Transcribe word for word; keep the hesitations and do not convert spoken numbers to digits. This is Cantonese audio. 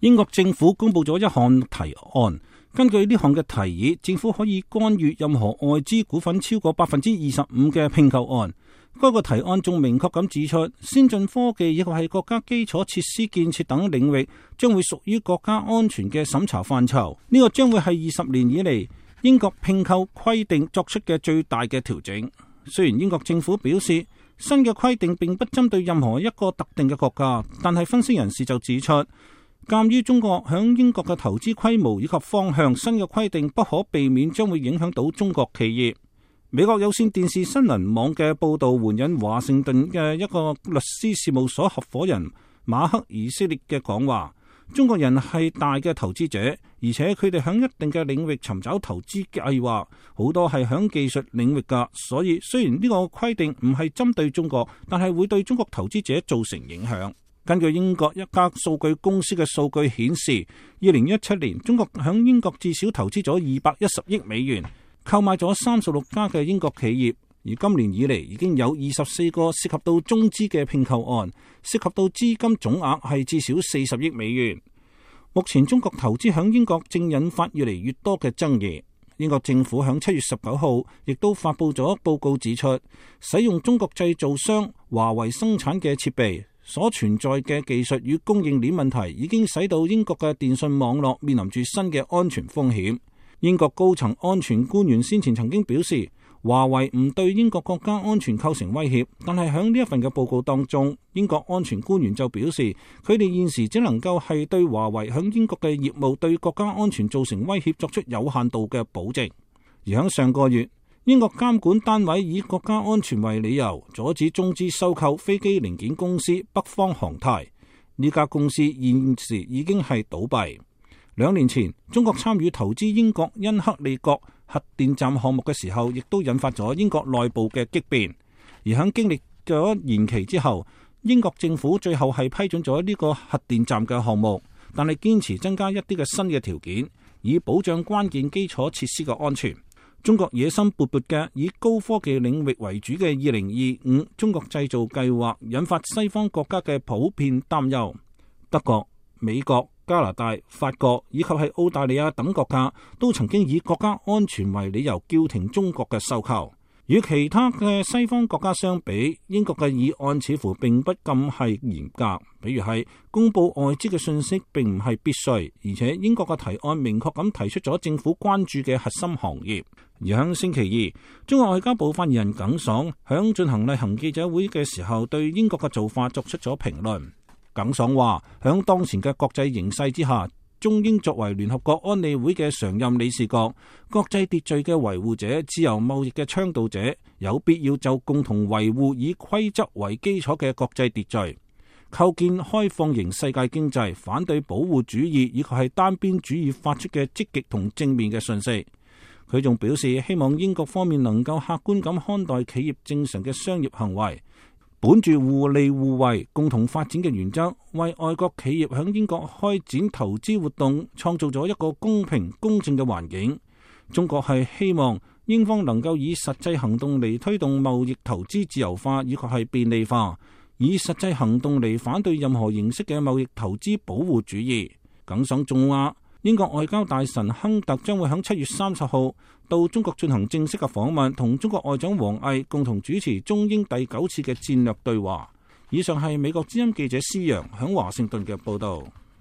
英國政府公布咗一項提案，根據呢項嘅提議，政府可以干預任何外資股份超過百分之二十五嘅併購案。該個提案仲明確咁指出，先進科技以及係國家基礎設施建設等領域將會屬於國家安全嘅審查範疇。呢個將會係二十年以嚟英國併購規定作出嘅最大嘅調整。雖然英國政府表示新嘅規定並不針對任何一個特定嘅國家，但係分析人士就指出，鑒於中國響英國嘅投資規模以及方向，新嘅規定不可避免將會影響到中國企業。美國有線電視新聞網嘅報道援引華盛頓嘅一個律師事務所合夥人馬克以色列嘅講話，中國人係大嘅投資者，而且佢哋響一定嘅領域尋找投資計劃，好多係響技術領域噶。所以雖然呢個規定唔係針對中國，但係會對中國投資者造成影響。根據英國一家數據公司嘅數據顯示，二零一七年中國響英國至少投資咗二百一十億美元，購買咗三十六家嘅英國企業，而今年以嚟已經有二十四個涉及到中資嘅併購案，涉及到資金總額係至少四十億美元。目前中國投資響英國正引發越嚟越多嘅爭議。英國政府響七月十九號亦都發佈咗報告，指出使用中國製造商華為生產嘅設備所存在嘅技術與供應鏈問題，已經使到英國嘅電信網絡面臨住新嘅安全風險。英國高層安全官員先前曾經表示，華為唔對英國國家安全構成威脅，但係喺呢一份嘅報告當中，英國安全官員就表示，佢哋現時只能夠係對華為喺英國嘅業務對國家安全造成威脅作出有限度嘅保證。而喺上個月，英國監管單位以國家安全為理由，阻止中資收購飛機零件公司北方航太。呢家公司現時已經係倒閉。兩年前，中國參與投資英國恩克利角核電站項目嘅時候，亦都引發咗英國內部嘅激變。而喺經歷咗延期之後，英國政府最後係批准咗呢個核電站嘅項目，但係堅持增加一啲嘅新嘅條件，以保障關鍵基礎設施嘅安全。中國野心勃勃嘅以高科技領域為主嘅二零二五中國製造計劃，引發西方國家嘅普遍擔憂。德國、美國、加拿大、法國以及係澳大利亞等國家都曾經以國家安全為理由叫停中國嘅收購。與其他嘅西方國家相比，英國嘅議案似乎並不咁係嚴格，比如係公布外資嘅信息並唔係必須，而且英國嘅提案明確咁提出咗政府關注嘅核心行業。而喺星期二，中國外交部發言人耿爽響進行例行記者會嘅時候，對英國嘅做法作出咗評論。耿爽話，響當前嘅國際形勢之下，中英作為聯合國安理會嘅常任理事國、國際秩序嘅維護者、自由貿易嘅倡導者，有必要就共同維護以規則為基礎嘅國際秩序，構建開放型世界經濟，反對保護主義以及係單邊主義發出嘅積極同正面嘅信息。佢仲表示，希望英國方面能夠客觀咁看待企業正常嘅商業行為，本住互利互惠、共同發展嘅原則，為外國企業響英國開展投資活動創造咗一個公平公正嘅環境。中國係希望英方能夠以實際行動嚟推動貿易投資自由化以及係便利化，以實際行動嚟反對任何形式嘅貿易投資保護主義。耿爽仲話，英國外交大臣亨特將會喺七月三十號到中國進行正式嘅訪問，同中國外長王毅共同主持中英第九次嘅戰略對話。以上係美國之音記者施洋喺華盛頓嘅報道。